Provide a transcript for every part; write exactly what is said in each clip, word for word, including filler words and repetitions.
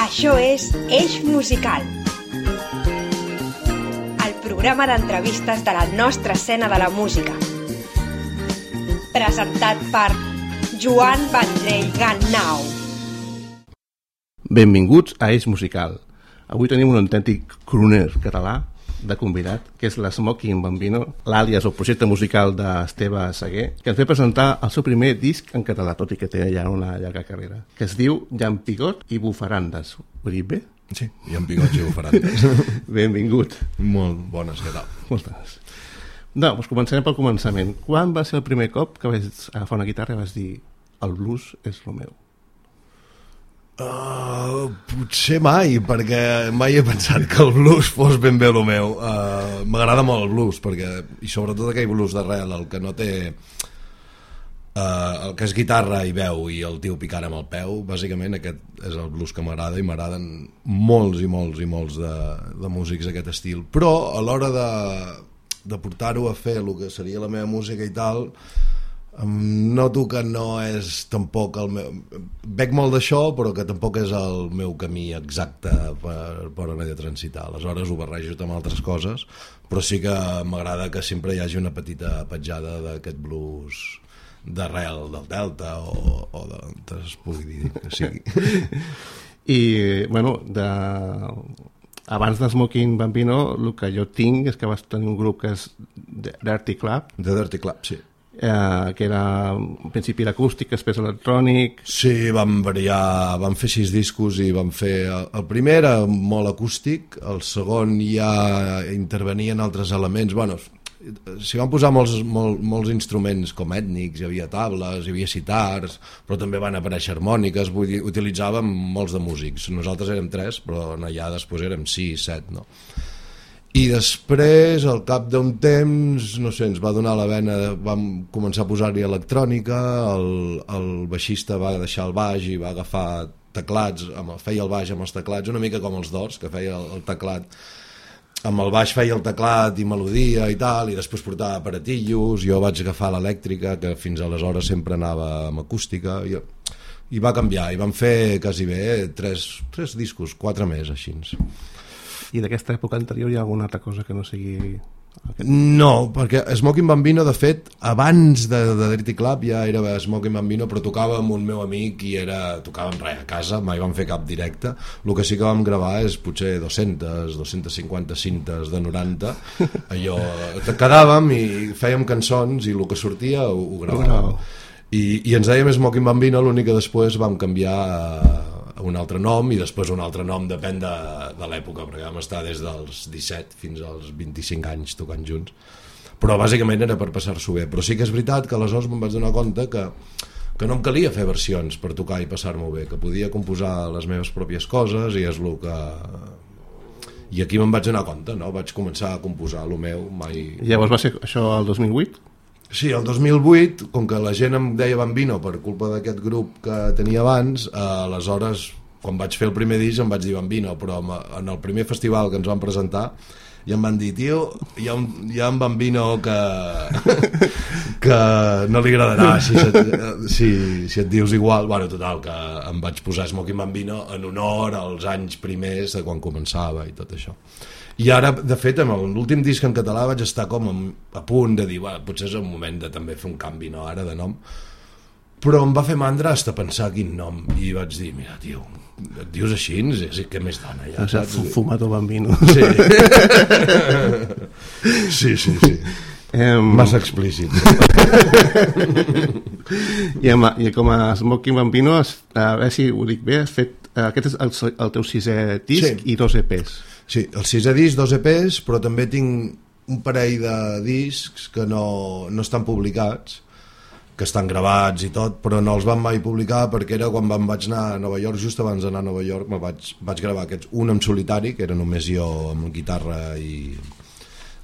Això és Eix Musical, el programa d'entrevistes de la nostra escena de la música. Presentat per Joan Vendrell Gannau. Benvinguts a Eix Musical. Avui tenim un autèntic crooner català de convidat, que és l'Smoking Bambino, l'àlies o projecte musical d'Esteve Seguer, que ens ve presentar el seu primer disc en català, tot i que té ja una llarga carrera, que es diu Llampigot i Bufarandes. Ho he dit bé? Sí, Llampigots i Bufarandes. Benvingut. Molt bones, què tal? Moltes. No, doncs començarem pel començament. Quan va ser el primer cop que vas agafar una guitarra i vas dir el blues és el meu? Uh, potser mai, perquè mai he pensat que el blues fos ben bé el meu. Uh, m'agrada molt el blues, perquè, i sobretot aquell blues d'arrel, el que no té uh, el que és guitarra i veu i el tio picant amb el peu, bàsicament aquest és el blues que m'agrada, i m'agraden molts i molts i molts de, de músics d'aquest estil, però a l'hora de, de portar-ho a fer el que seria la meva música i tal, noto que no és tampoc el meu... Bec molt d'això, però que tampoc és el meu camí exacte per, per on he de transitar. Aleshores ho barrejo amb altres coses, però sí que m'agrada que sempre hi hagi una petita petjada d'aquest blues d'arrel del Delta o, o de... es pugui dir que sigui. I, bueno, de... abans de Smoking Bambino, el que jo tinc és que vas tenir un grup que és Dirty Club. The Dirty Club, sí. Eh, que era en principi l'acústic, després electrònic. Sí, vam variar, vam fer sis discos i vam fer... El primer era molt acústic, el segon ja intervenien altres elements, bueno, s'hi van posar molts, molt, molts instruments com ètnics, hi havia tables, hi havia sitars, però també van aparèixer harmòniques, vull dir, utilitzàvem molts de músics, nosaltres érem tres, però allà després érem sis, set, no? I després, al cap d'un temps, no sé, ens va donar la vena, vam començar a posar-hi electrònica, el, el baixista va deixar el baix i va agafar teclats, feia el baix amb els teclats, una mica com els Doors, que feia el, el teclat, amb el baix feia el teclat i melodia i tal, i després portava aparatillos, jo vaig agafar l'elèctrica, que fins aleshores sempre anava amb acústica, i, i va canviar, i vam fer quasi bé tres, tres discos, quatre més, així. I d'aquesta època anterior hi ha alguna altra cosa que no sigui... Aquest... No, perquè Smoking Bambino, de fet, abans de, de Dirty Club ja era Smoking Bambino, però tocava amb un meu amic i era, tocàvem res a casa, mai vam fer cap directe. El que sí que vam gravar és potser dues-centes, dues-centes cinquanta cintes de noranta, allò, quedàvem i fèiem cançons i el que sortia ho, ho gravàvem. I, i ens dèiem Smoking Bambino, l'únic que després vam canviar a un altre nom, i després un altre nom, depèn de, de l'època, perquè vam estar des dels disset fins als vint-i-cinc anys tocant junts, però bàsicament era per passar-s'ho bé. Però sí que és veritat que aleshores me'n vaig donar compte que, que no em calia fer versions per tocar i passar-m'ho bé, que podia composar les meves pròpies coses, i és el que... I aquí me'n vaig donar compte, no? Vaig començar a composar el meu, mai... Llavors va ser això el dos mil vuit? Sí, el dos mil vuit, com que la gent em deia Bambino per culpa d'aquest grup que tenia abans, eh, aleshores, quan vaig fer el primer disc em vaig dir Bambino, però en el primer festival que ens van presentar ja em van dir, tio, hi ha un, hi ha un Bambino que, que no li agradarà si, si, si et dius igual. Bueno, total, que em vaig posar Smoking Bambino en honor als anys primers de quan començava i tot això. I ara, de fet, amb l'últim disc en català vaig estar com a punt de dir, bueno, potser és el moment de també fer un canvi, no, ara, de nom. Però em va fer mandra hasta pensar quin nom, i vaig dir, mira, tio, et dius així, és que més dona ja, saps? Fumato Bambino. Sí. Sí, sí, sí. Um... Massa explícit. I, amb, I com a Smoking Bambino, a veure si ho dic bé, has fet, aquest és el, el teu sisè disc, sí. I dos E Pes. Sí, el sisè disc, dos E Pes, però també tinc un parell de discs que no, no estan publicats, que estan gravats i tot, però no els van mai publicar perquè era quan vam vaig anar a Nova York, just abans d'anar a Nova York, me vaig, vaig gravar aquests, un en solitari, que era només jo amb guitarra i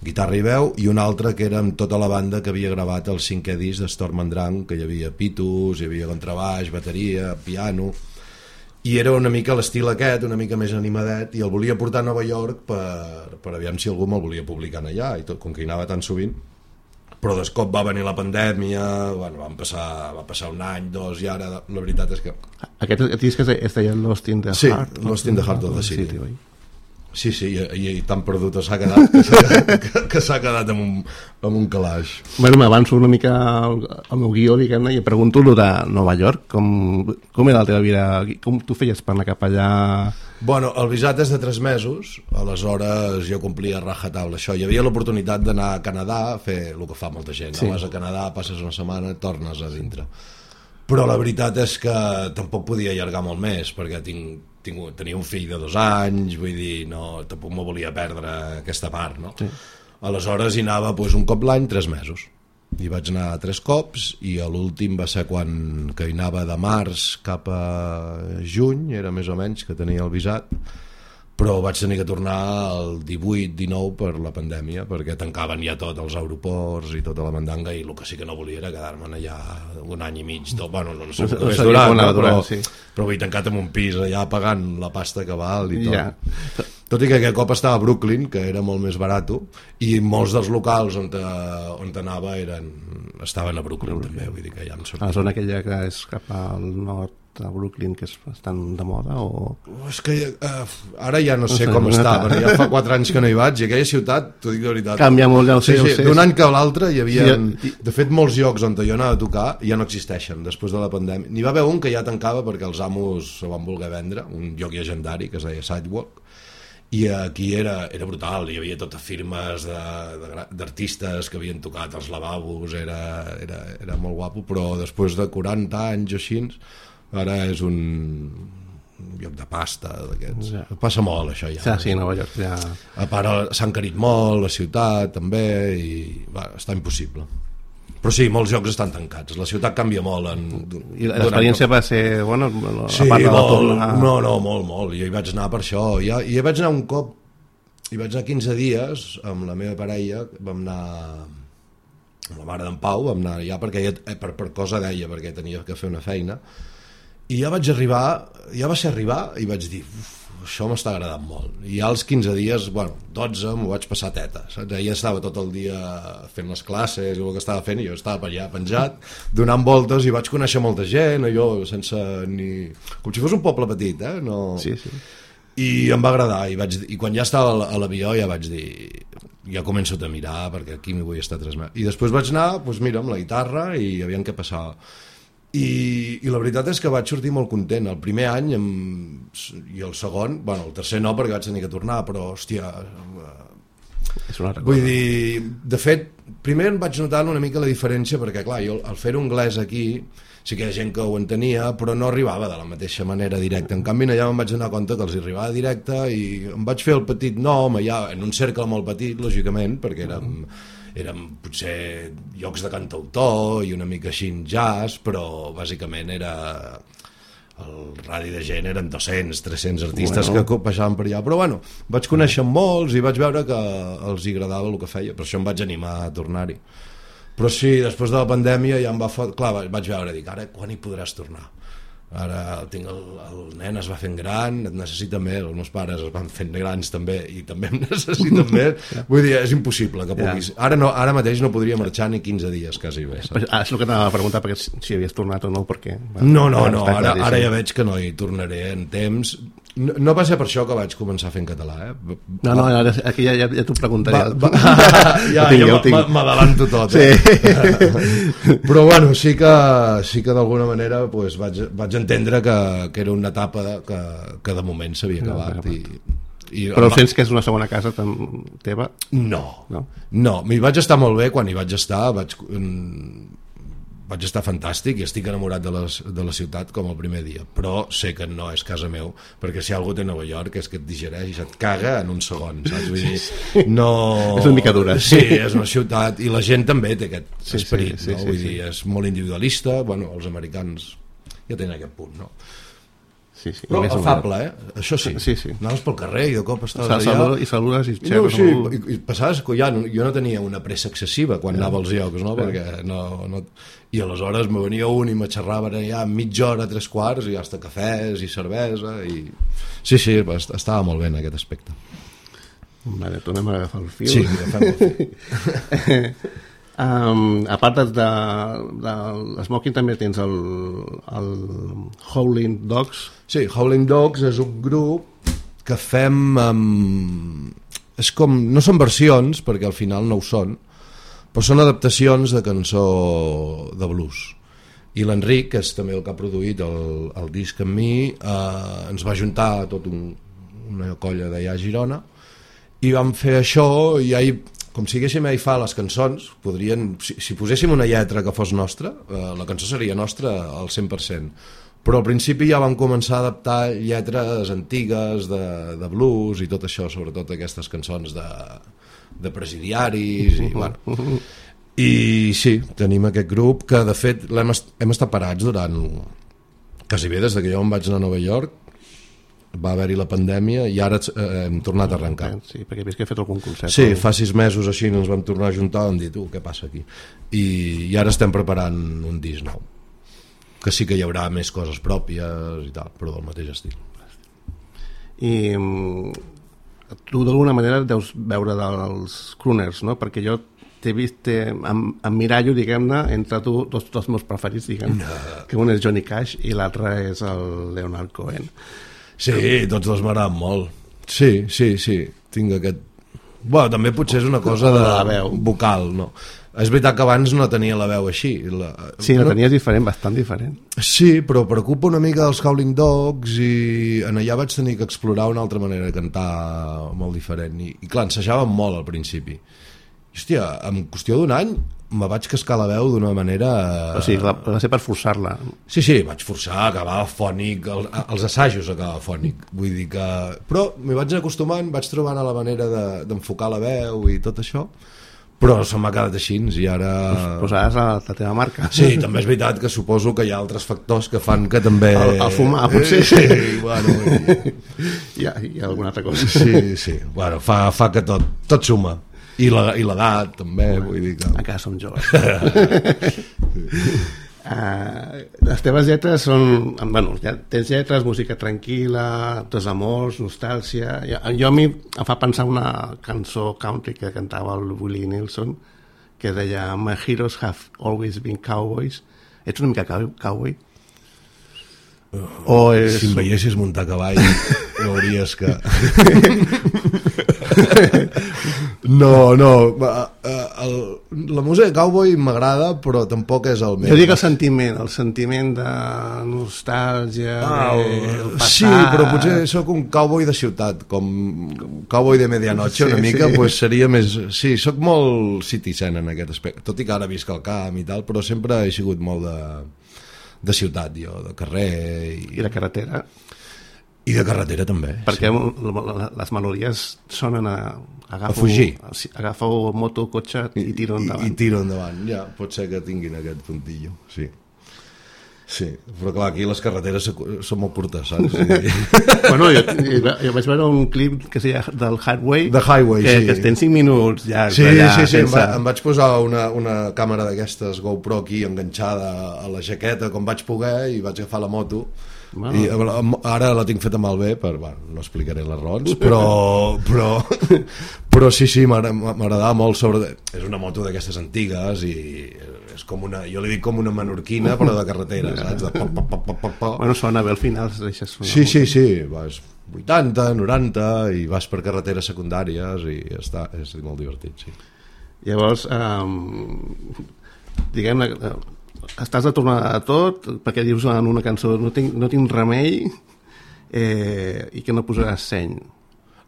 guitarra i veu, i un altre que era amb tota la banda que havia gravat el cinquè disc de Storm and Drunk, que hi havia pitos, hi havia contrabaix, bateria, piano, i era una mica l'estil aquest, una mica més animadet, i el volia portar a Nova York per, per aviam si algú me'l volia publicar allà, i tot, com que hi anava tan sovint, però de cop va venir la pandèmia, bueno, van passar, va passar un any, dos, i ara la veritat és que... Aquest disc es deia Lost in the Heart? Sí, Lost in the Heart of the City. City, oi? Sí, sí, i, i tan perdut s'ha quedat que s'ha, que, que s'ha quedat amb un, amb un calaix. Bueno, m'avanço una mica al, al meu guió, diguem-ne, i em pregunto lo de Nova York, com, com era la teva vida, com tu feies per anar cap allà? Bueno, el visat és de tres mesos, aleshores jo complia rajatabla això. Hi havia l'oportunitat d'anar a Canadà a fer el que fa molta gent, sí. Vas a Canadà, passes una setmana, tornes a dintre. Però la veritat és que tampoc podia allargar molt més, perquè tinc, tinc, tenia un fill de dos anys, vull dir, no, tampoc me volia perdre aquesta part, no? Sí. Aleshores hi anava doncs, un cop l'any, tres mesos. Hi vaig anar tres cops, i l'últim va ser quan que hi anava de març cap a juny, era més o menys que tenia el visat, però vaig tenir que tornar el divuit dinou per la pandèmia, perquè tancaven ja tot els aeroports i tota la mandanga, i el que sí que no volia era quedar-me'n allà un any i mig, tot, bueno, no sé com és durant, no? però, sí. però vull tancat en un pis allà pagant la pasta que val i tot. Ja. Tot i que aquest cop estava a Brooklyn, que era molt més barat, i molts dels locals on, te, on anava eren, estaven a Brooklyn, Brooklyn. també, vull dir que ja em sortia. A la zona aquella que és cap al nord a Brooklyn, que és bastant de moda, o... És que uh, ara ja no sé no com està, perquè ja fa quatre anys que no hi vaig, i aquella ciutat, t'ho dic de veritat, canvia molt, ja ho sé, sí, sí, d'un any que a l'altre hi havia, sí, de fet molts llocs on jo anava a tocar ja no existeixen després de la pandèmia. N'hi va haver un que ja tancava perquè els amos se van voler vendre, un lloc llegendari que es deia Sidewalk, i aquí era, era brutal, hi havia totes firmes d'artistes que havien tocat els lavabos, era, era, era molt guapo, però després de quaranta anys o així, ara és un lloc de pasta d'aquests. Ja. Passa molt això ja. Ja, sí, Nova York ja... A part s'ha encarit molt, la ciutat també, i va, està impossible. Però sí, molts llocs estan tancats, la ciutat canvia molt. En, I l'experiència va ser bona? Sí, a part de la torna... no, no, molt, molt. Jo hi vaig anar per això. I hi vaig anar un cop, hi vaig anar quinze dies amb la meva parella, vam anar amb la mare d'en Pau, vam anar ja perquè ella, per, per cosa deia, perquè tenia que fer una feina, i ja vaig arribar, ja va ser arribar i vaig dir, uf, això m'està agradant molt. I ja als quinze dies, bueno, dotze m'ho vaig passar teta, saps? Ella estava tot el dia fent les classes i el que estava fent, i jo estava allà penjat donant voltes, i vaig conèixer molta gent, allò sense ni... com si fos un poble petit, eh? No... Sí, sí. I em va agradar, i, vaig... i quan ja estava a l'avió ja vaig dir, ja començo a mirar perquè aquí m'hi vull estar tres mesos. I després vaig anar, doncs mira, amb la guitarra, i aviam què passava. I, i la veritat és que vaig sortir molt content el primer any amb, i el segon, bueno, el tercer no perquè vaig tenir que tornar, però hòstia, és una vull dir, de fet primer em vaig notar una mica la diferència, perquè clar, jo al fer anglès aquí sí que hi ha gent que ho entenia, però no arribava de la mateixa manera directa. En canvi allà em vaig donar compte que els arribava directe, i em vaig fer el petit nom allà, en un cercle molt petit, lògicament, perquè érem eren potser llocs de cantautor i una mica així jazz, però bàsicament era el radi de gent eren dos-cents, tres-cents artistes bueno. que passaven per allà, però bueno, vaig conèixer molts i vaig veure que els agradava el que feia, per això em vaig animar a tornar-hi. Però sí, després de la pandèmia ja em va fot... clar, vaig veure, dic, ara quan hi podràs tornar? Ara tinc el, el nen es va fent gran, et necessita més, els meus pares es van fent grans també i també em necessiten més, vull dir, és impossible que puguis, ara, no, ara mateix no podria marxar ni quinze dies quasi bé, saps? Ah, és el que t'anava a preguntar, perquè si havies tornat o no, perquè... No, no, no, ara, ara ja veig que no hi tornaré en temps. No, no va ser per això que vaig començar fent català, eh? No, no, ara, aquí ja, ja, ja t'ho preguntaré. Va, va, ja, ja m'adalanto tot, eh? Sí. Però bueno, sí que, sí que d'alguna manera pues, vaig, vaig entendre que, que era una etapa de, que, que de moment s'havia acabat. No, i, i, però va... sents que és una segona casa teva? No, no, no m'hi vaig estar molt bé quan hi vaig estar, vaig... vaig estar fantàstic i estic enamorat de la, de la ciutat com el primer dia, però sé que no és casa meu, perquè si algú té Nova York és que et digereix i se't caga en un segon, saps? Vull dir, no... és una mica dura. Sí, és una ciutat, i la gent també té aquest sí, esperit, sí, sí, no? Sí, Vull sí, dir, sí. És molt individualista, bueno, els americans ja tenen aquest punt, no? Sí, sí. Però afable, eh? Això sí. Sí, sí. Anaves pel carrer i de cop estaves allà... Saluda, I saludes i xerres. No, sí, molt... i, i passaves que ja no, jo no tenia una pressa excessiva quan ja. anava als llocs, no? Perquè no, no... I aleshores me venia un i me xerraven allà mitja hora, tres quarts, i hasta cafès i cervesa, i... Sí, sí, estava molt bé en aquest aspecte. Vale, tornem a agafar el fil. Sí, agafem el fil. Um, a part de, de, de l'Smoking també tens el, el Howling Dogs. Sí, Howling Dogs és un grup que fem amb... és com... no són versions, perquè al final no ho són, però són adaptacions de cançó de blues. I l'Enric, que és també el que ha produït el, el disc amb mi, eh, ens va juntar tot un, una colla d'allà a Girona i vam fer això i ja hi, com si haguéssim a fa les cançons, podrien, si, si poséssim una lletra que fos nostra, eh, la cançó seria nostra al cent per cent, però al principi ja vam començar a adaptar lletres antigues de, de blues i tot això, sobretot aquestes cançons de, de presidiaris i bueno. I sí, tenim aquest grup que de fet hem, est hem estat parats durant quasi bé des que jo em vaig anar a Nova York, va haver-hi la pandèmia i ara eh, hem tornat a arrencar. Sí, perquè he vist que he fet algun concert. Sí, fa sis mesos així ens vam tornar a juntar i vam dir, tu, què passa aquí? I, i ara estem preparant un disc nou, que sí que hi haurà més coses pròpies i tal, però del mateix estil. I tu d'alguna manera deus veure dels crooners, no? Perquè jo t'he vist, em, em mirallo, diguem-ne, entre tu, dos dels meus preferits, diguem, no. Que un és Johnny Cash i l'altre és el Leonard Cohen. Sí, tots dos m'agraden molt. Sí, sí, sí, tinc aquest... Bueno, també potser és una cosa de la veu vocal, no? És veritat que abans no tenia la veu així. La... Sí, la tenies diferent, bastant diferent. Sí, però preocupa una mica dels Howling Dogs i en allà vaig tenir que explorar una altra manera de cantar molt diferent. I, i clar, ensejàvem molt al principi. I, hòstia, en qüestió d'un any me vaig cascar la veu d'una manera... O sigui, va, va ser per forçar-la. Sí, sí, vaig forçar, acabava fònic, el, els assajos acabava fònic. Vull dir que... Però m'hi vaig anar acostumant, vaig trobant la manera d'enfocar de, la veu i tot això, però se m'ha quedat així i ara... Pues posaràs la, la teva marca. Sí, també és veritat que suposo que hi ha altres factors que fan que també... El, el fumar, potser. Sí, bueno... I... hi, ha, hi ha alguna altra cosa. Sí, sí, bueno, fa, fa que tot, tot suma. I l'edat també, vull dir que... Encara som joves. uh, les teves lletres són... Bueno, ja tens lletres, música tranquil·la, desamors, nostàlgia... Jo, jo a mi em fa pensar una cançó country que cantava el Willie Nelson, que deia My heroes have always been cowboys. Ets una mica cowboy? O és... Si em veiessis muntar cavall veuries que... No, no, el, la música de cowboy m'agrada, però tampoc és el meu. Jo dic el sentiment, el sentiment de nostàlgia, ah, el passat... Sí, però potser sóc un cowboy de ciutat, com cowboy de medianoche, una sí, mica, sí. Pues seria més... Sí, sóc molt citizen en aquest aspecte, tot i que ara visc al camp i tal, però sempre he sigut molt de, de ciutat, jo, de carrer... I, I de carretera. I de carretera també. Perquè sí. Les melodies sonen a... Agafo, a fugir. Agafo moto, cotxe i tiro endavant. I, i tiro endavant, ja, pot ser que tinguin aquest puntillo, sí. Sí, però clar, aquí les carreteres són molt curtes, saps? Bueno, jo, jo vaig veure un clip que seria del Highway, The Highway, que, sí. Que estem cinc minuts ja. Sí, allà, sí, sí, sense... em, va, em vaig posar una, una càmera d'aquestes GoPro aquí enganxada a la jaqueta com vaig poder i vaig agafar la moto. Wow. I ara la tinc feta malbé per, bueno, no explicaré les raons, però però, però sí, sí, m'agradava molt sobre... És una moto d'aquestes antigues i és com una, jo li dic com una menorquina però de carretera, saps? De pop, pop, pop, pop, pop. Bueno, sona bé al final, deixes sonar. Sí, sí, sí, vas vuitanta, noranta i vas per carreteres secundàries i està, és molt divertit, sí. Llavors, um, diguem-ne, estàs a tornar a tot perquè dius en una cançó no tinc, no tinc remei eh, i que no posaràs seny.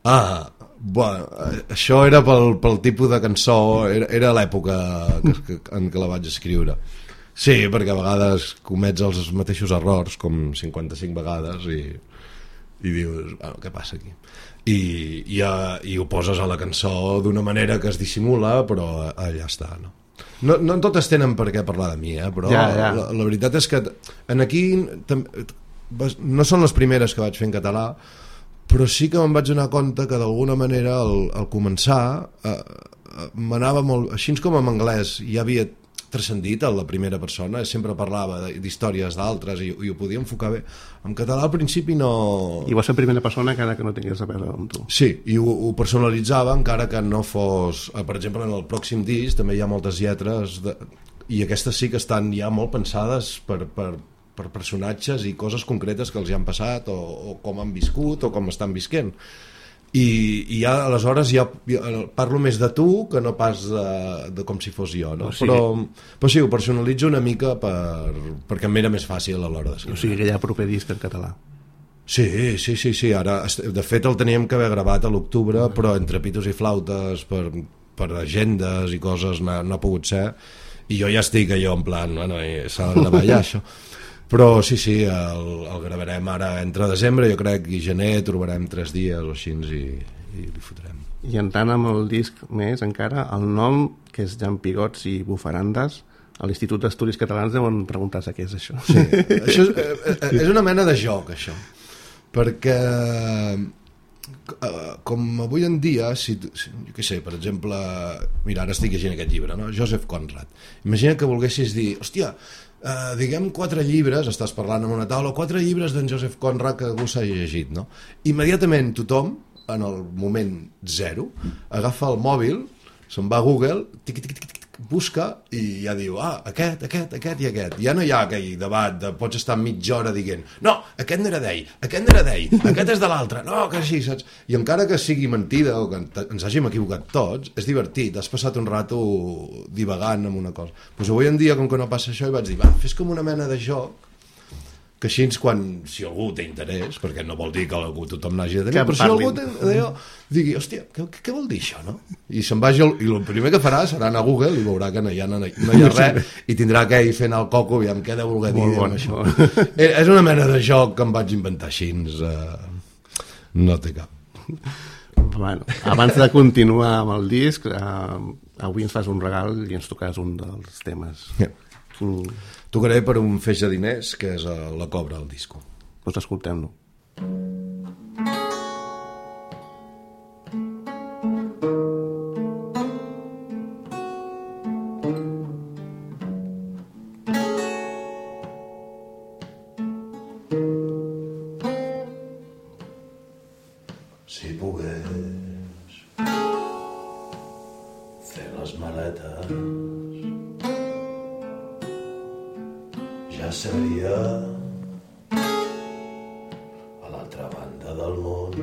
Ah, bueno, això era pel, pel tipus de cançó, era, era l'època que, en què la vaig escriure. Sí, perquè a vegades comets els mateixos errors com cinquanta-cinc vegades i, i dius, bueno, què passa aquí? I, i, i ho poses a la cançó d'una manera que es dissimula, però allà està, no? No, no totes tenen per què parlar de mi, eh? Però ja, ja. La, la veritat és que en aquí no són les primeres que vaig fer en català, però sí que me'n vaig donar compte que d'alguna manera al, al començar eh, m'anava molt... Així com en anglès ja havia transcendit a la primera persona, sempre parlava d'històries d'altres i, i ho podia enfocar bé. En català al principi no... I vas ser primera persona encara que no tingués a veure amb tu. Sí, i ho, ho personalitzava encara que no fos... Per exemple, en el pròxim disc també hi ha moltes lletres de... i aquestes sí que estan ja molt pensades per, per, per personatges i coses concretes que els hi han passat o, o com han viscut o com estan visquent. I, i ja aleshores ja, ja parlo més de tu que no pas de, de com si fos jo, no? O sigui, però, però sí, ho personalitzo una mica per, perquè em era més fàcil a l'hora d'escriure. O sigui que hi ha proper disc en català. Sí, sí, sí, sí. Ara, de fet el teníem que haver gravat a l'octubre, mm. però entre pitos i flautes per, per agendes i coses no, no ha pogut ser, i jo ja estic allò en plan, bueno, s'ha de gravar ja això. Però sí, sí, el, el gravarem ara entre desembre, jo crec, i gener trobarem tres dies o així i, i li fotrem. I entrant amb el disc més encara, el nom, que és Llampigots i Bufarandes, a l'Institut d'Estudis Catalans deuen preguntar-se què és això. Sí, això és, és una mena de joc, això, perquè com avui en dia, si, si, jo què sé, per exemple, mira, ara estic llegint aquest llibre, no? Joseph Conrad. Imagina que volguessis dir, hòstia, Uh, diguem quatre llibres, estàs parlant en una taula, quatre llibres d'en Joseph Conrad que algú s'ha llegit, no? Immediatament tothom, en el moment zero, agafa el mòbil, se'n va a Google, tic, tic, tic, tic, busca i ja diu, ah, aquest, aquest, aquest i aquest. Ja no hi ha aquell debat de pots estar mitja hora dient, no, aquest no era d'ell, aquest no era d'ell, aquest és de l'altre, no, que així, saps? I encara que sigui mentida o que ens hàgim equivocat tots, és divertit, has passat un rato divagant amb una cosa. Doncs avui en dia, com que no passa això, i vaig dir, va, fes com una mena de joc, que així quan, si algú té interès, perquè no vol dir que algú tothom n'hagi de tenir, però si algú té, d'allò, digui, hòstia, què, què vol dir això, no? I se'n vagi, el, i el primer que farà serà anar a Google i veurà que no hi ha, no, no hi ha res, i tindrà que ir fent el coco, aviam què deu voler dir amb això. És una mena de joc que em vaig inventar així, eh, no té cap. Bueno, abans de continuar amb el disc, eh, avui ens fas un regal i ens tocaràs un dels temes. Yeah. Quin... Tocaré per un feix de diners, que és la cobra al disco. Doncs escoltem-lo. Si pogués fer les maletes ja seria a l'altra banda del món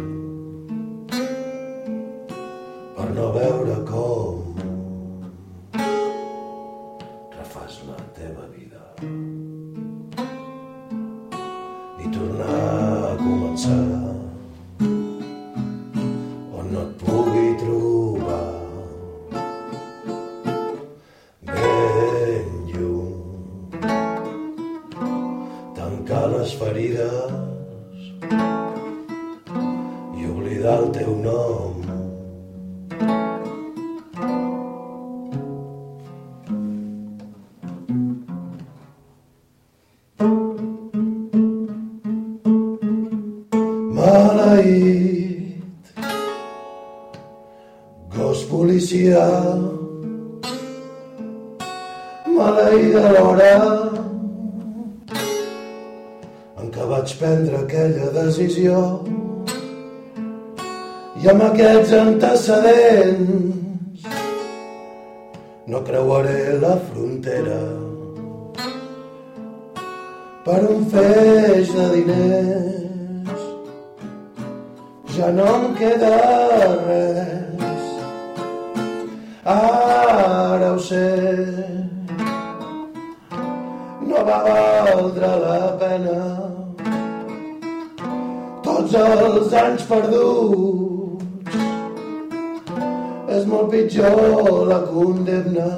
per no veure com refàs la teva vida i tornar a començar on no et pugui trobar les ferides i oblidar el teu nom. Maleït, gos policial, maleïda l'hora que vaig prendre aquella decisió i amb aquests antecedents no creuaré la frontera per un feix de diners. Ja no em queda res, ara ho sé, no va valdre la pena tots els anys perduts. És molt pitjor la condemna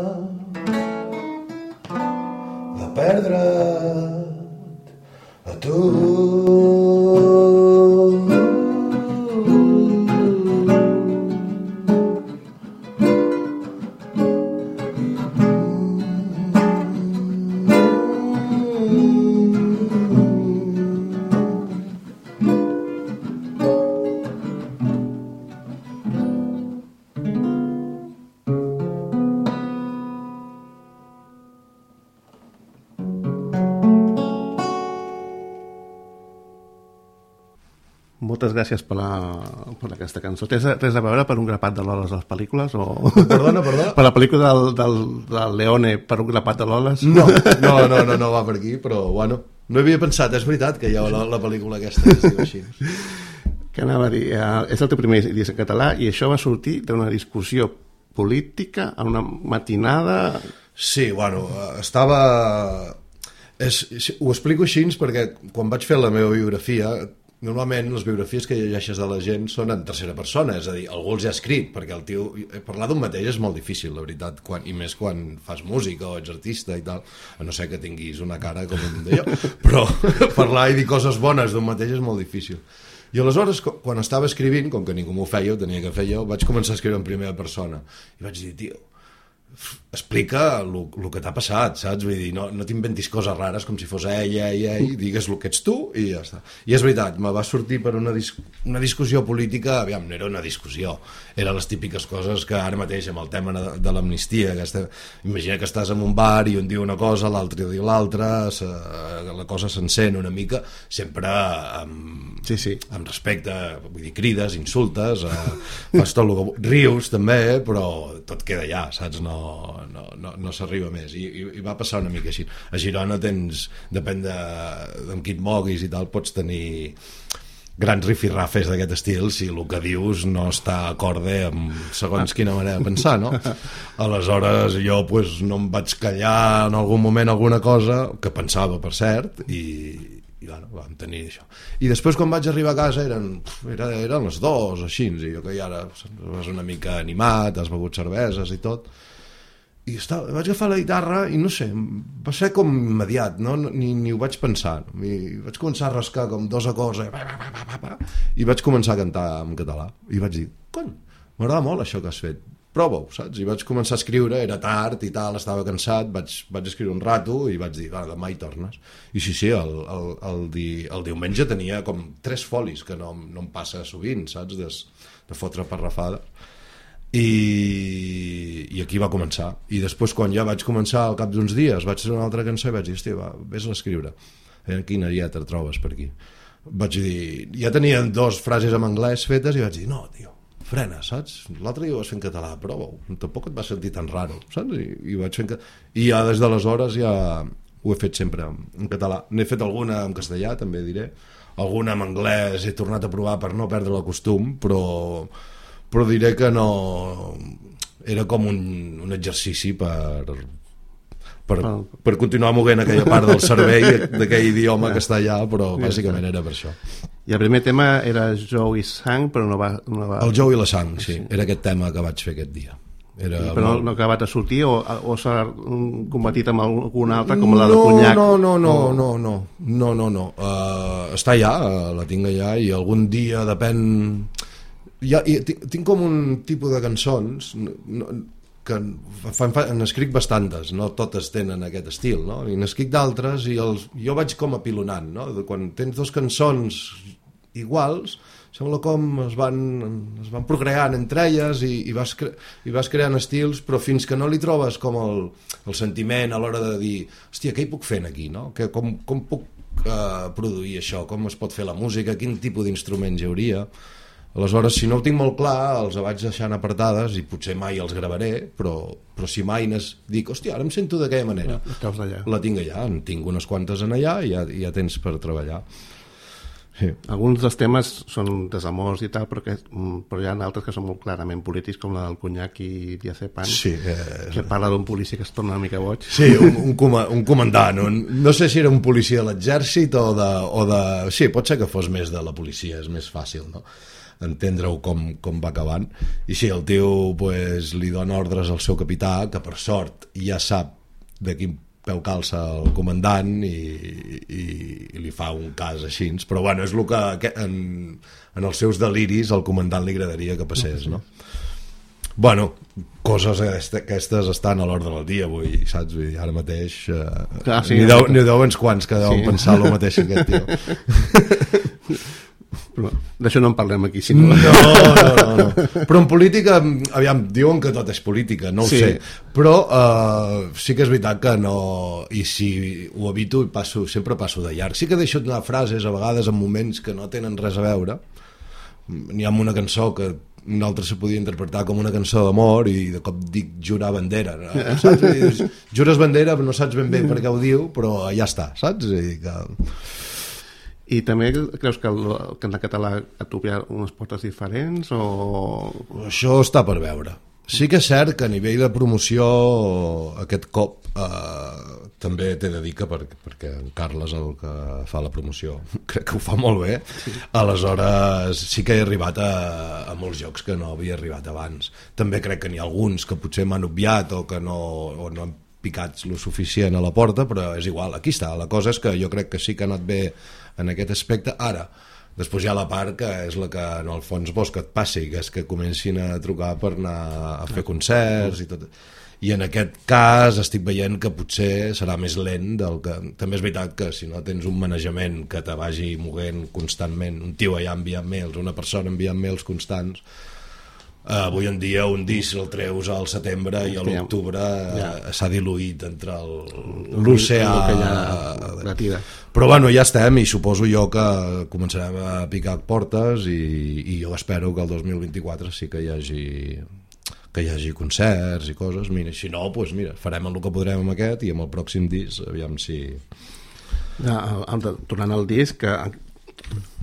de perdre't a tu. Moltes gràcies per, la, per aquesta cançó. Tens res a veure per un grapat de Loles a les pel·lícules? O... Perdona, perdona? Per la pel·lícula del, del, del Leone per un grapat de Loles? No, no, no, no, no va per aquí, però bueno, no havia pensat, és veritat que hi ha la, la pel·lícula aquesta que es diu així. Què anava a dir? Uh, és el teu primer disc en català i això va sortir d'una discussió política en una matinada... Sí, bueno, estava... És, ho explico així perquè quan vaig fer la meva biografia... Normalment les biografies que llegeixes de la gent són en tercera persona, és a dir, algú els ha escrit, perquè el tio, parlar d'un mateix és molt difícil, la veritat, quan, i més quan fas música o ets artista i tal, a no ser que tinguis una cara com un d'allò, però parlar i dir coses bones d'un mateix és molt difícil. I aleshores, quan estava escrivint, com que ningú m'ho feia, ho tenia que fer jo, vaig començar a escriure en primera persona, i vaig dir, tio, explica el que t'ha passat, saps? Vull dir, no, no t'inventis coses rares com si fos ella, ella, ella, digues el que ets tu i ja està. I és veritat, me va sortir per una, dis una discussió política, aviam, no era una discussió, eren les típiques coses que ara mateix amb el tema de, de l'amnistia, que estem... imagina que estàs en un bar i un diu una cosa, l'altre diu l'altra, la cosa s'encén una mica, sempre amb, sí, sí. amb respecte, vull dir, crides, insultes, eh, fas tot el que... rius també, però tot queda allà, saps? No no, no, no, no s'arriba més I, i, i va passar una mica així. A Girona tens, depèn de, amb qui et moguis i tal, pots tenir grans rifirrafes d'aquest estil si el que dius no està acorde amb segons quina manera de pensar, no? Aleshores jo pues, no em vaig callar en algun moment alguna cosa que pensava, per cert, i, i bueno, vam tenir això. I després quan vaig arribar a casa eren, era, eren les dues, així, i jo que ja ara vas una mica animat, has begut cerveses i tot, i estava, vaig agafar la guitarra i no sé, va ser com immediat, no? ni, ni ho vaig pensar, i vaig començar a rascar com dos acords i vaig començar a cantar en català i vaig dir, cony, m'agrada molt això que has fet, prova-ho, saps? I vaig començar a escriure, era tard i tal, estava cansat, vaig, vaig escriure un rato i vaig dir, va, demà hi tornes. I sí, sí, el, el, el, di, el diumenge tenia com tres folis, que no, no em passa sovint, saps? De, de fotre parrafades. I, i aquí va començar. I després, quan ja vaig començar, al cap d'uns dies, vaig fer una altra cançó i vaig dir, hòstia, va, vés a l'escriure. Eh, quina lletra trobes per aquí? Vaig dir, ja tenien dos frases en anglès fetes i vaig dir, no, tio, frena, saps? L'altre dia ho vas fer en català, prova-ho. Tampoc et va sentir tan raro, saps? I, i, vaig fer en... I ja des d'aleshores ja ho he fet sempre en català. N'he fet alguna en castellà, també diré. Alguna en anglès he tornat a provar per no perdre el costum, però... però diré que no... Era com un, un exercici per, per, per continuar moguent aquella part del cervell d'aquell idioma que està allà, però bàsicament era per això. I el primer tema era Joe i Sang, però no va... No va... El Joe i la Sang, sí. Era aquest tema que vaig fer aquest dia. Era però molt... no ha acabat de sortir o, o s'ha combatit amb alguna altra com la de Conyac? No, no, no, o... no, no, no, no, no. Uh, està allà, la tinc allà i algun dia depèn... Ja, tinc, tinc com un tipus de cançons no, que fan, fan, n'escric bastantes, no totes tenen aquest estil, no? I n'escric d'altres i els, jo vaig com apilonant, no? Quan tens dos cançons iguals sembla com es van, es van procreant entre elles i, i, vas cre i vas creant estils, però fins que no li trobes com el, el sentiment a l'hora de dir, hòstia, què hi puc fer aquí, no? Que, com, com puc uh, produir això, com es pot fer la música, quin tipus d'instruments hi hauria. Aleshores, si no ho tinc molt clar, els vaig deixant apartades i potser mai els gravaré, però, però si mai nes... dic, hòstia, ara em sento d'aquella manera. La tinc allà, en tinc unes quantes en allà i ja, ja tens per treballar. Sí. Alguns dels temes són desamors i tal, però, que, però hi ha altres que són molt clarament polítics, com la del Conyac i Diazepam, sí, eh... que parla d'un policia que es torna una mica boig. Sí, un, un, com un comandant. Un, no sé si era un policia de l'exèrcit o, de, o de... Sí, pot ser que fos més de la policia, és més fàcil, no? Entendre-ho com, com va acabant. I sí, el tio pues, li dona ordres al seu capità, que per sort ja sap de quin peu calça el comandant i, i, i li fa un cas així, però bueno, és el que en, en els seus deliris al comandant li agradaria que passés, no? Bueno, coses aquestes estan a l'ordre del dia avui, saps? Vull dir, ara mateix eh, Clar, sí, n'hi deu, deu uns quants que deuen sí. pensar el mateix que aquest tio. Però d'això no en parlem aquí, si no... No, no, no, no. Però en política, aviam, diuen que tot és política, no ho Sí. sé. Però uh, sí que és veritat que no... I si ho evito, passo, sempre passo de llarg. Sí que deixo anar frases, a vegades, en moments que no tenen res a veure. N'hi ha una cançó que un altre se podia interpretar com una cançó d'amor i de cop dic jurar bandera, no? Saps? I dius, jures bandera, no saps ben bé per què ho diu, però ja està, saps? I que... I també creus que el, el cant català et obria unes portes diferents o... Això està per veure. Sí que és cert que a nivell de promoció aquest cop eh, també t'he de dir que per, perquè en Carles, el que fa la promoció, crec que ho fa molt bé. Sí. Aleshores sí que he arribat a, a molts jocs que no havia arribat abans. També crec que n'hi ha alguns que potser m'han obviat o que no, o no han picats lo suficient a la porta, però és igual, aquí està. La cosa és que jo crec que sí que ha anat bé en aquest aspecte. Ara, després hi ha la part que és la que en el fons vols que et passi, que és que comencin a trucar per anar a fer concerts i tot. I en aquest cas estic veient que potser serà més lent del que... També és veritat que si no tens un manejament que te vagi moguent constantment, un tio allà enviant mails, una persona enviant mails constants, Uh, avui en dia un disc el treus al setembre i a l'octubre ja. uh, s'ha diluït entre l'oceà. Però bueno, ja estem i suposo jo que començarem a picar portes i, i jo espero que el dos mil vint-i-quatre sí que hi hagi que hi hagi concerts i coses. Mira, si no, doncs mira, farem el que podrem amb aquest i amb el pròxim disc aviam si... Ja, tornant al disc, que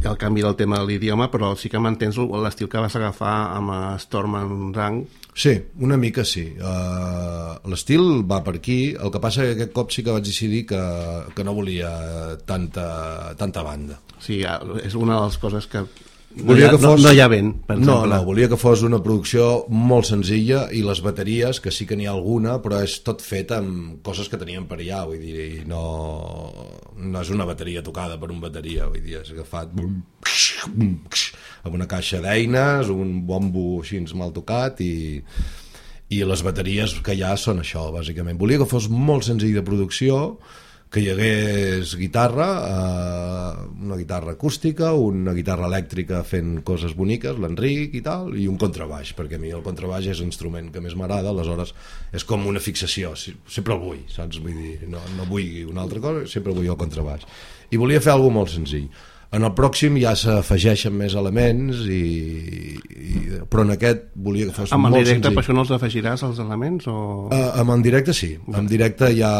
el canvi del tema de l'idioma, però sí que mantens l'estil que vas agafar amb Storm and Drang. Sí, una mica sí. Uh, l'estil va per aquí, el que passa que aquest cop sí que vaig decidir que, que no volia tanta, tanta banda. Sí, és una de les coses que no, volia hi ha, que fos... no, no hi ha vent, per no, exemple. No, volia que fos una producció molt senzilla i les bateries, que sí que n'hi ha alguna, però és tot fet amb coses que teníem per allà, vull dir, i no, no és una bateria tocada per un bateria, vull dir, és agafat amb una caixa d'eines, un bombo així mal tocat i, i les bateries que hi ha són això, bàsicament. Volia que fos molt senzill de producció, que hi hagués guitarra, eh, una guitarra acústica, una guitarra elèctrica fent coses boniques, l'Enric i tal, i un contrabaix, perquè a mi el contrabaix és l'instrument que més m'agrada, aleshores és com una fixació, sempre el vull, saps? Vull dir, no, no vull una altra cosa, sempre vull el contrabaix. I volia fer alguna molt senzill. En el pròxim ja s'afegeixen més elements, i, i, però en aquest volia que fos amb molt senzill. Amb el directe per això no els afegiràs, els elements? O... Uh, amb en directe sí, en directe ja...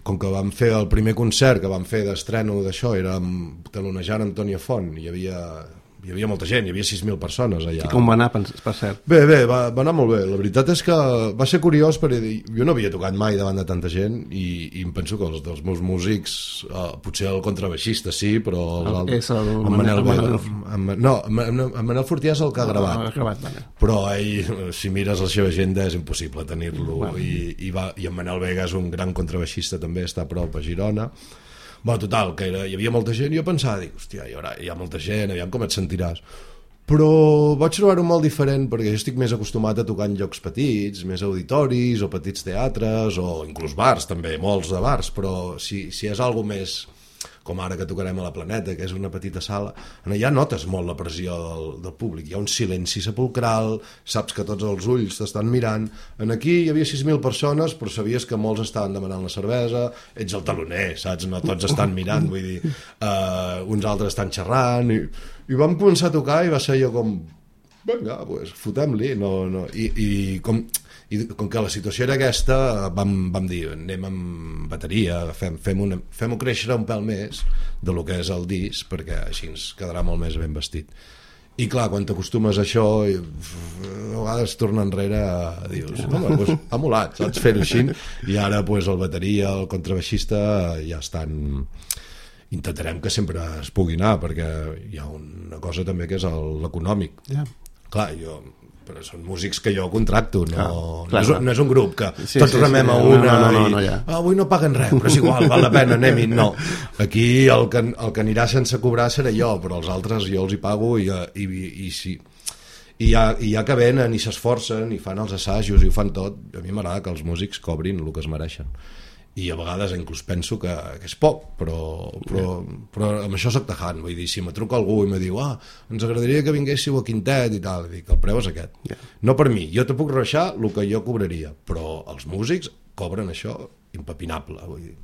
Com que vam fer el primer concert que vam fer d'estreno d'això, era talonejant Antònia Font, hi havia, hi havia molta gent, hi havia sis mil persones allà. I com va anar, per cert? Bé, bé, va, va anar molt bé. La veritat és que va ser curiós perquè jo no havia tocat mai davant de tanta gent i, i em penso que els dels meus músics, eh, potser el contrabaixista sí, però el, el, és el, el Manel, Manel, Manel no, en Manel Fortià és el que ha gravat, no, gravat vale. Però ell, si mires la seva agenda és impossible tenir-lo, bueno. i, i, va, i en Manel Vega és un gran contrabaixista també, està a prop a Girona. Bueno, total, que era, hi havia molta gent i jo pensava, dic, hòstia, hi, haurà, hi ha molta gent, aviam com et sentiràs. Però vaig trobar-ho molt diferent perquè jo estic més acostumat a tocar en llocs petits, més auditoris o petits teatres o inclús bars també, molts de bars, però si, si és algo més com ara que tocarem a la Planeta, que és una petita sala, allà notes molt la pressió del, del públic, hi ha un silenci sepulcral, saps que tots els ulls t'estan mirant. En aquí hi havia sis mil persones, però sabies que molts estaven demanant la cervesa, ets el taloner, saps? No tots estan mirant, vull dir, uh, uns altres estan xerrant, i, i vam començar a tocar i va ser jo com, vinga, pues, fotem-li, no, no. I, i com... i com que la situació era aquesta vam, vam dir, anem amb bateria fem, fem una, fem-ho créixer un pèl més de lo que és el disc perquè així ens quedarà molt més ben vestit. I clar, quan t'acostumes a això i, a vegades torna enrere dius, home, doncs, ha molat, saps fer-ho així, i ara pues, el bateria, el contrabaixista ja estan, intentarem que sempre es pugui anar perquè hi ha una cosa també que és l'econòmic. Yeah. Clar, jo però són músics que jo contracto, no, clar, clar, no, és, no és un grup que sí, tots sí, remem sí, a una no, no, no, no, ja. i ah, avui no paguen res, però és igual, val la pena, anem-hi. No, aquí el que, el que anirà sense cobrar serà jo, però els altres jo els hi pago i, i, i, i sí. I ja, i ja que venen i s'esforcen i fan els assajos i ho fan tot, a mi m'agrada que els músics cobrin el que es mereixen. i a vegades inclús penso que, que és poc, però, però, però amb això soc tajant, vull dir, si me truca algú i me diu, ah, ens agradaria que vinguéssiu a Quintet i tal, i dic, el preu és aquest. Yeah. No per mi, jo te puc rebaixar el que jo cobraria, però els músics cobren això impepinable, vull dir.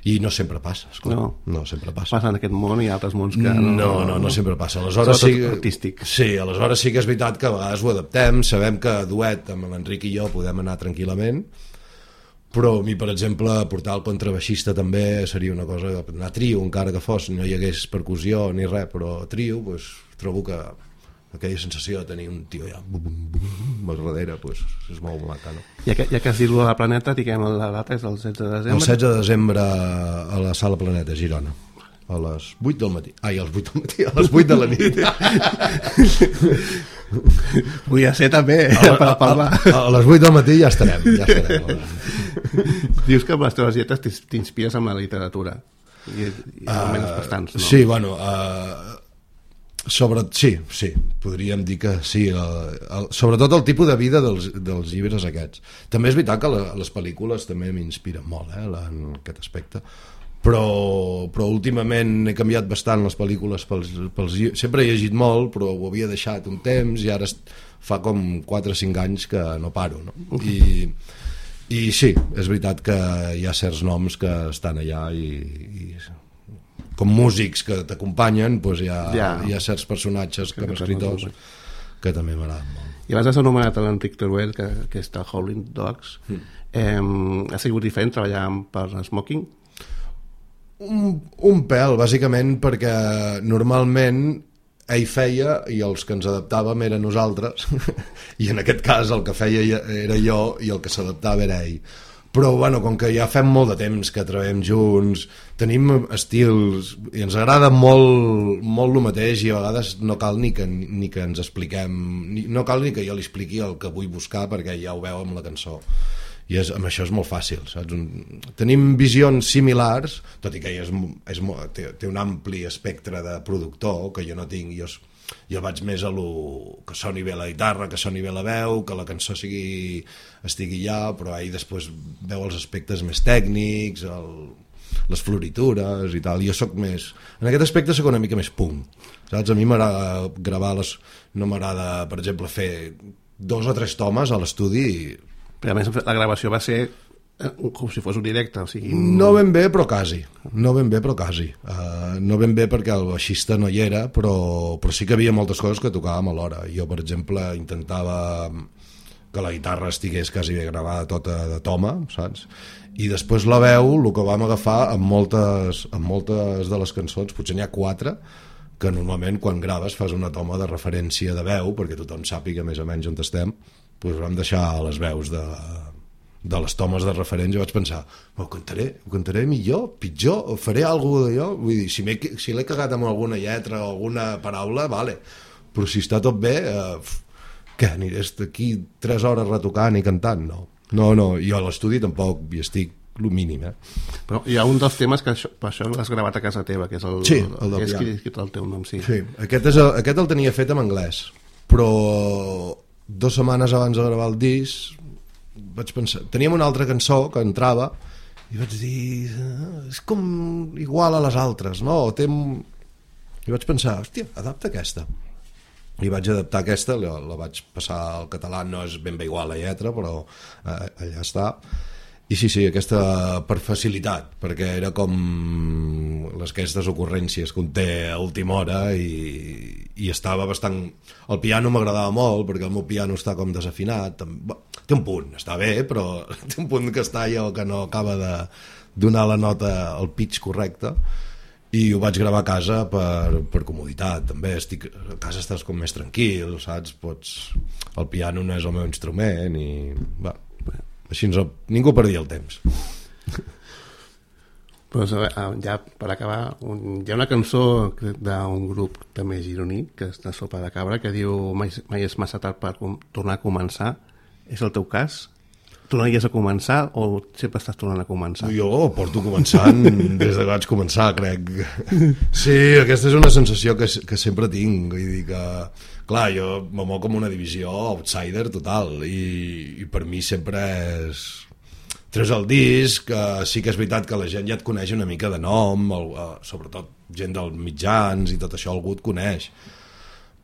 I no sempre passa, esclar. No, no sempre passa. Passa en aquest món i altres mons que... No, no, no, no sempre passa. Aleshores sí, artístic. Sí, aleshores sí que és veritat que a vegades ho adaptem, sabem que duet amb l'Enric i jo podem anar tranquil·lament, però a mi, per exemple, portar el contrabaixista també seria una cosa, anar trio, encara que fos, no hi hagués percussió ni res, però trio, pues, trobo que aquella sensació de tenir un tio allà bum, bum, bum, al darrere, pues, és molt maca, no? Ja que, ja que has dit la Planeta, diguem, la data és el setze de desembre? El setze de desembre a la Sala Planeta, a Girona, a les vuit del matí. Ai, a les vuit del matí, a les vuit de la nit. Vull ser també, a, per parlar. A, a, a les vuit del matí ja estarem, ja estarem. Dius que amb les teves lletres t'inspires amb la literatura, i, i almenys uh, bastants, no? Sí, bueno, uh, sobre, sí, sí, podríem dir que sí, el, el, sobretot el tipus de vida dels, dels llibres aquests. També és veritat que la, les pel·lícules també m'inspiren molt, eh, en aquest aspecte, però, però últimament he canviat bastant les pel·lícules pels, pels llibres. Sempre he llegit molt, però ho havia deixat un temps i ara fa com quatre o cinc anys que no paro, no? I, i sí, és veritat que hi ha certs noms que estan allà i, i com músics que t'acompanyen, doncs hi ha, ja. hi ha certs personatges que com escriptors que també m'agraden molt. I abans has anomenat l'Enric Teruel, que, que està a Howling Dogs. Mm. Eh, ha sigut diferent treballar per Smoking? Un, un pèl, bàsicament, perquè normalment ell feia i els que ens adaptàvem eren nosaltres i en aquest cas el que feia era jo i el que s'adaptava era ell. Però bueno, com que ja fem molt de temps que treballem junts, tenim estils i ens agrada molt, molt el mateix i a vegades no cal ni que, ni que ens expliquem, ni, no cal ni que jo li expliqui el que vull buscar perquè ja ho veu amb la cançó. I és, amb això és molt fàcil, saps? Un, tenim visions similars, tot i que ell és, és, té, té un ampli espectre de productor que jo no tinc. Jo, jo vaig més a lo que soni bé la guitarra, que soni bé la veu, que la cançó sigui, estigui allà, però ell després veu els aspectes més tècnics, el, les floritures i tal. Jo soc més... En aquest aspecte soc una mica més punk, saps? A mi m'agrada gravar les... No m'agrada, per exemple, fer dos o tres tomes a l'estudi i... Però a més la gravació va ser com si fos un directe, o sigui... No ben bé, però quasi. No ben bé, però quasi. Uh, no ben bé perquè el baixista no hi era, però, però sí que havia moltes coses que tocàvem alhora. Jo, per exemple, intentava que la guitarra estigués quasi bé gravada tota de toma, saps? I després la veu, el que vam agafar amb moltes, amb moltes de les cançons, potser n'hi ha quatre, que normalment quan graves fas una toma de referència de veu, perquè tothom sàpiga més o menys on estem, doncs vam deixar les veus de, de les tomes de referents i vaig pensar, ho cantaré, ho cantaré millor, pitjor, faré alguna cosa d'allò, vull dir, si, si l'he cagat amb alguna lletra o alguna paraula, vale, però si està tot bé, eh, què, aniré aquí tres hores retocant i cantant? No, no, no, jo a l'estudi tampoc hi estic el mínim, eh? Però hi ha un dels temes que això, per això l'has gravat a casa teva, que és el, sí, el del és qui, qui el teu nom, sí. Sí, aquest, és el, aquest el tenia fet en anglès, però dues setmanes abans de gravar el disc vaig pensar, teníem una altra cançó que entrava i vaig dir ah, és com igual a les altres, no? Té... i vaig pensar, hòstia, adapta aquesta i vaig adaptar aquesta, la, la vaig passar al català, no és ben bé igual la lletra però eh, allà està. I sí, sí, aquesta per facilitat, perquè era com les aquestes ocurrències que un té a última hora i, i estava bastant... El piano m'agradava molt, perquè el meu piano està com desafinat. Té un punt, està bé, però té un punt que està allò que no acaba de donar la nota al pitch correcte. I ho vaig gravar a casa per, per comoditat, també. Estic, a casa estàs com més tranquil, saps? Pots... El piano no és el meu instrument i... Va, així no, ningú perdia el temps. Pues, ja per acabar, un, hi ha una cançó d'un grup també gironí que és de Sopa de Cabra que diu mai, mai és massa tard per com, tornar a començar. És el teu cas? Tornaries a començar o sempre estàs tornant a començar? Jo porto començant des de que vaig començar, crec. Sí, aquesta és una sensació que, que sempre tinc. Vull dir que, clar, jo me moc com una divisió outsider total i, i per mi sempre és... treus el disc, que sí que és veritat que la gent ja et coneix una mica de nom, el, eh, sobretot gent dels mitjans i tot això algú et coneix,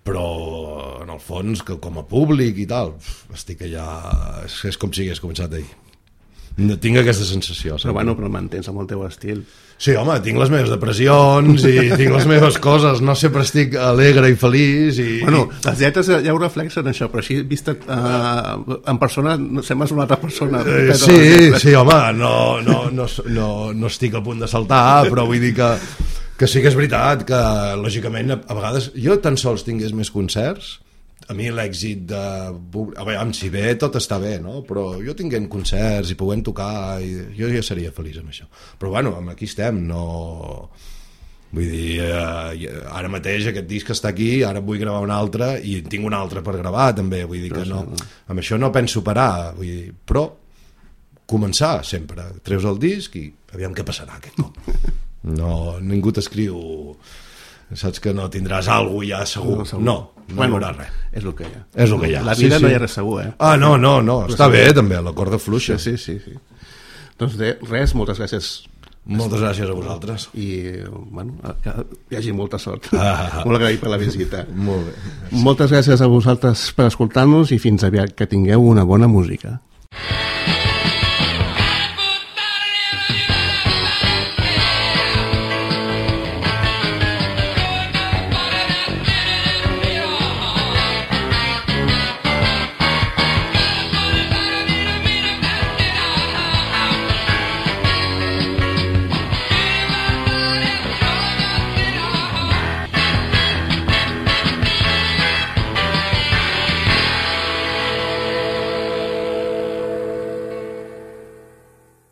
però en el fons que com a públic i tal, estic allà, és, és com si hagués començat ahir. No, tinc aquesta sensació. Però bueno, però mantens amb el teu estil. Sí, home, tinc les meves depressions i tinc les meves coses, no sempre estic alegre i feliç i... Bueno, les lletres ja ho reflexen això, però així vista uh, en persona sembles una altra persona. Eh, sí, sí, home, no, no, no, no, no estic a punt de saltar, però vull dir que, que sí que és veritat que, lògicament, a, a vegades jo tan sols tingués més concerts, a mi l'èxit de... A veure, si bé tot està bé, no? Però jo tinguent concerts i puguem tocar, i jo ja seria feliç amb això. Però bueno, aquí estem, no... Vull dir, eh, ara mateix aquest disc està aquí, ara vull gravar un altre i tinc un altre per gravar també, vull dir que no... Amb això no penso parar, vull dir, però començar sempre. Treus el disc i aviam què passarà aquest cop. No, ningú t'escriu... Saps que no tindràs alguna cosa ja segur. No, segur. no, no bueno, hi haurà res. És el que hi ha. És el que hi ha. La vida sí, no sí. hi ha res segur, eh? Ah, no, no, no. Però està sí, bé també, la corda fluixa. Sí, sí, sí. Doncs de, res, moltes gràcies. Moltes gràcies a vosaltres. I, bueno, que hi hagi molta sort. Ah. Molt agraït per la visita. Molt bé. Gràcies. Moltes gràcies a vosaltres per escoltar-nos i fins aviat, que tingueu una bona música.